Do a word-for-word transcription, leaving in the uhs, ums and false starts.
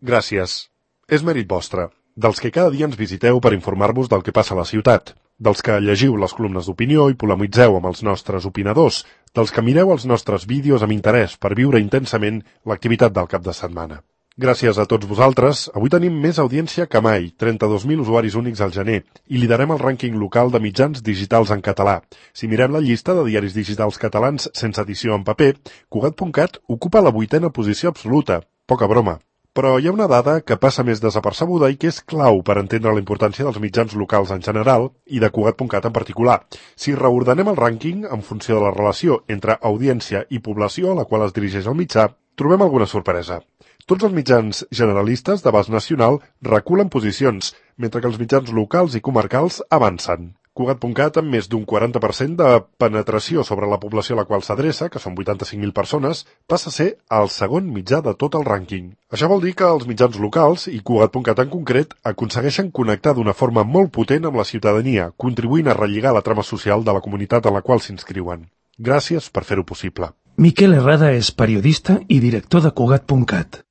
Gràcies. És mèrit vostre, dels que cada dia ens visiteu per informar-vos del que passa a la ciutat, dels que llegiu les columnes d'opinió i polemitzeu amb els nostres opinadors, dels que mireu els nostres vídeos amb interès per viure intensament l'activitat del cap de setmana. Gràcies a tots vosaltres, avui tenim més audiència que mai, trenta-dos mil usuaris únics al gener, i liderem el rànquing local de mitjans digitals en català. Si mirem la llista de diaris digitals catalans sense edició en paper, Cugat punt cat ocupa la vuitena posició absoluta. Poca broma. Però hi ha una dada que passa més desapercebuda i que és clau per entendre la importància dels mitjans locals en general i de Cugat punt cat en particular. Si reordenem el rànquing en funció de la relació entre audiència i població a la qual es dirigeix el mitjà, trobem alguna sorpresa. Tots els mitjans generalistes d'abast nacional reculen posicions, mentre que els mitjans locals i comarcals avancen. Cugat punt cat, amb més d'un quaranta per cent de penetració sobre la població a la qual s'adreça, que són vuitanta-cinc mil persones, passa a ser el segon mitjà de tot el rànquing. Això vol dir que els mitjans locals, i Cugat punt cat en concret, aconsegueixen connectar d'una forma molt potent amb la ciutadania, contribuint a relligar la trama social de la comunitat en la qual s'inscriuen. Gràcies per fer-ho possible. Miquel Herrada és periodista i director de Cugat punt cat.